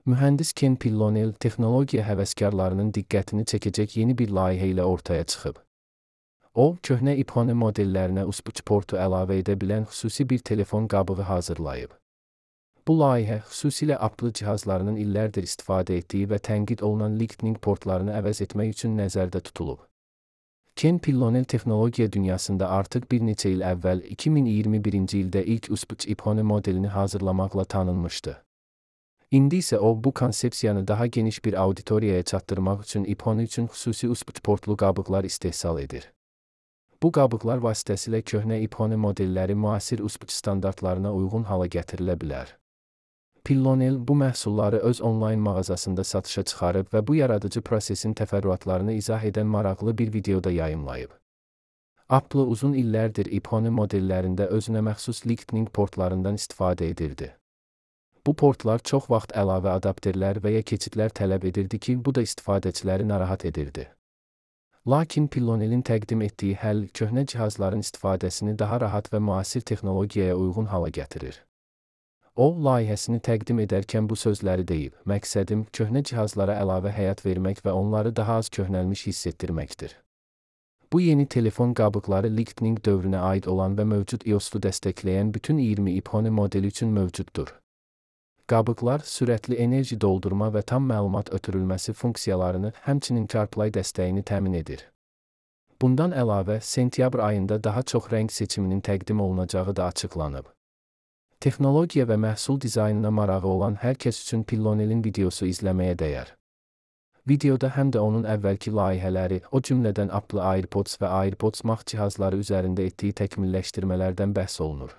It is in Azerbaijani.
Mühəndis Ken Pillonel texnologiya həvəskarlarının diqqətini çəkəcək yeni bir layihə ilə ortaya çıxıb. O, köhnə iPhone modellərinə USB portu əlavə edə bilən xüsusi bir telefon qabığı hazırlayıb. Bu layihə xüsusilə Apple cihazlarının illərdir istifadə etdiyi və tənqid olunan Lightning portlarını əvəz etmək üçün nəzərdə tutulub. Ken Pillonel texnologiya dünyasında artıq bir neçə il əvvəl 2021-ci ildə ilk USB iPhone modelini hazırlamaqla tanınmışdı. İndi isə o, bu konsepsiyanı daha geniş bir auditoriyaya çatdırmaq üçün iPhone üçün xüsusi USB portlu qabıqlar istehsal edir. Bu qabıqlar vasitəsilə köhnə iPhone modelləri müasir USB standartlarına uyğun hala gətirilə bilər. Pillonel bu məhsulları öz onlayn mağazasında satışa çıxarıb və bu yaradıcı prosesin təfərrüatlarını izah edən maraqlı bir videoda yayımlayıb. Apple uzun illərdir iPhone modellərində özünə məxsus Lightning portlarından istifadə edirdi. Bu portlar çox vaxt əlavə adapterlər və ya keçidlər tələb edirdi ki, bu da istifadəçiləri narahat edirdi. Lakin Pillonelin təqdim etdiyi həll köhnə cihazların istifadəsini daha rahat və müasir texnologiyaya uyğun hala gətirir. O, layihəsini təqdim edərkən bu sözləri deyib: "Məqsədim köhnə cihazlara əlavə həyat vermək və onları daha az köhnəlmiş hiss etdirməkdir." Bu yeni telefon qabıqları Lightning dövrünə aid olan və mövcud iOS-u dəstəkləyən bütün 20 iPhone modeli üçün mövcuddur. Qabıqlar sürətli enerji doldurma və tam məlumat ötürülməsi funksiyalarını, həmçinin CarPlay dəstəyini təmin edir. Bundan əlavə, sentyabr ayında daha çox rəng seçiminin təqdim olunacağı da açıqlanıb. Texnologiya və məhsul dizaynına marağı olan hər kəs üçün Pillonelin videosu izləməyə dəyər. Videoda həm də onun əvvəlki layihələri, o cümlədən Apple AirPods və AirPods Max cihazları üzərində etdiyi təkmilləşdirmələrdən bəhs olunur.